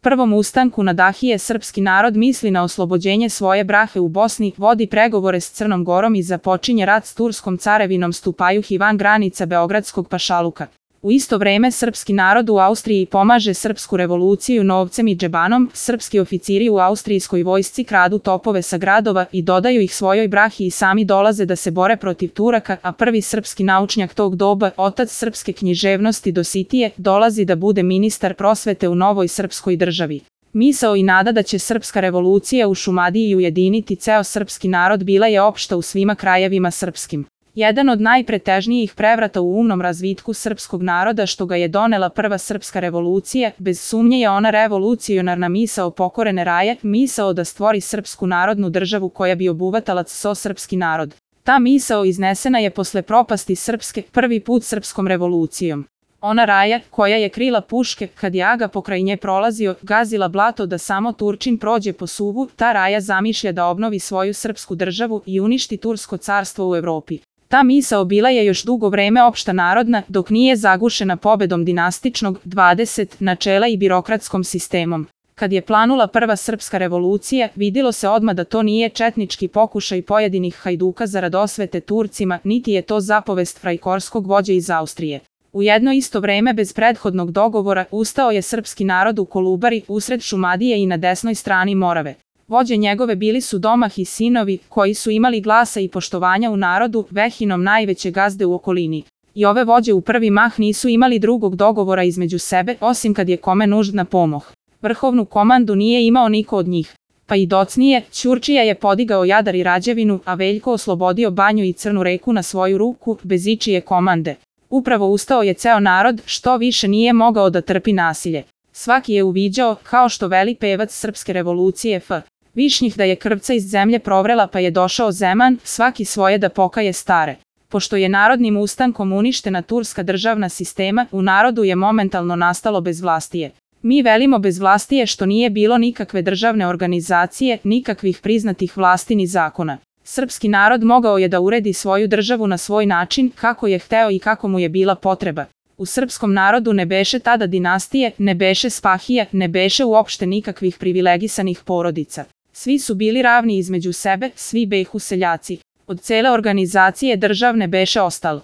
prvom ustanku na Dahije srpski narod misli na oslobođenje svoje brahe u Bosni, vodi pregovore s Crnom Gorom i započinje rat s Turskom carevinom Stupajuh i van granica Beogradskog pašaluka. U isto vreme srpski narod u Austriji pomaže srpsku revoluciju novcem i džebanom, srpski oficiri u austrijskoj vojsci kradu topove sa gradova i dodaju ih svojoj brahi i sami dolaze da se bore protiv Turaka, a prvi srpski naučnjak tog doba, otac srpske književnosti Dositije, dolazi da bude ministar prosvete u novoj srpskoj državi. Misao i nada da će srpska revolucija u Šumadiji ujediniti ceo srpski narod bila je opšta u svima krajevima srpskim. Jedan od najpretežnijih prevrata u umnom razvitku srpskog naroda što ga je donela prva srpska revolucija, bez sumnje je ona revolucionarna misao pokorene raje, misao da stvori srpsku narodnu državu koja bi obuvatala so srpski narod. Ta misao iznesena je posle propasti srpske, prvi put srpskom revolucijom. Ona raja, koja je krila puške, kad je aga pokraj nje prolazio, gazila blato da samo Turčin prođe po suvu, ta raja zamišlja da obnovi svoju srpsku državu i uništi Tursko carstvo u Evropi. Ta misao bila je još dugo vreme opšta narodna, dok nije zagušena pobedom dinastičnog 20 načela i birokratskom sistemom. Kad je planula prva srpska revolucija, vidilo se odmah da to nije četnički pokušaj pojedinih hajduka zarad osvete Turcima, niti je to zapovest frajkorskog vođe iz Austrije. U jedno isto vreme bez prethodnog dogovora ustao je srpski narod u Kolubari, usred Šumadije i na desnoj strani Morave. Vođe njegove bili su Domah i sinovi, koji su imali glasa i poštovanja u narodu, vehinom najveće gazde u okolini. I ove vođe u prvi mah nisu imali drugog dogovora između sebe, osim kad je kome nužna pomoć. Vrhovnu komandu nije imao niko od njih. Pa i docnije, Ćurčija je podigao Jadar i Rađevinu, a Veljko oslobodio Banju i Crnu reku na svoju ruku, bez ičije komande. Upravo ustao je ceo narod, što više nije mogao da trpi nasilje. Svaki je uviđao, kao što veli pevac srpske revolucije F. Višnjih da je krvca iz zemlje provrela pa je došao Zeman, svaki svoje da pokaje stare. Pošto je narodnim ustankom uništena turska državna sistema, u narodu je momentalno nastalo bezvlastije. Mi velimo bezvlastije što nije bilo nikakve državne organizacije, nikakvih priznatih vlasti ni zakona. Srpski narod mogao je da uredi svoju državu na svoj način, kako je hteo i kako mu je bila potreba. U srpskom narodu ne beše tada dinastije, ne beše spahija, ne beše uopšte nikakvih privilegisanih porodica. Svi su bili ravni između sebe, svi behu seljaci. Od cele organizacije državne beše ostalo.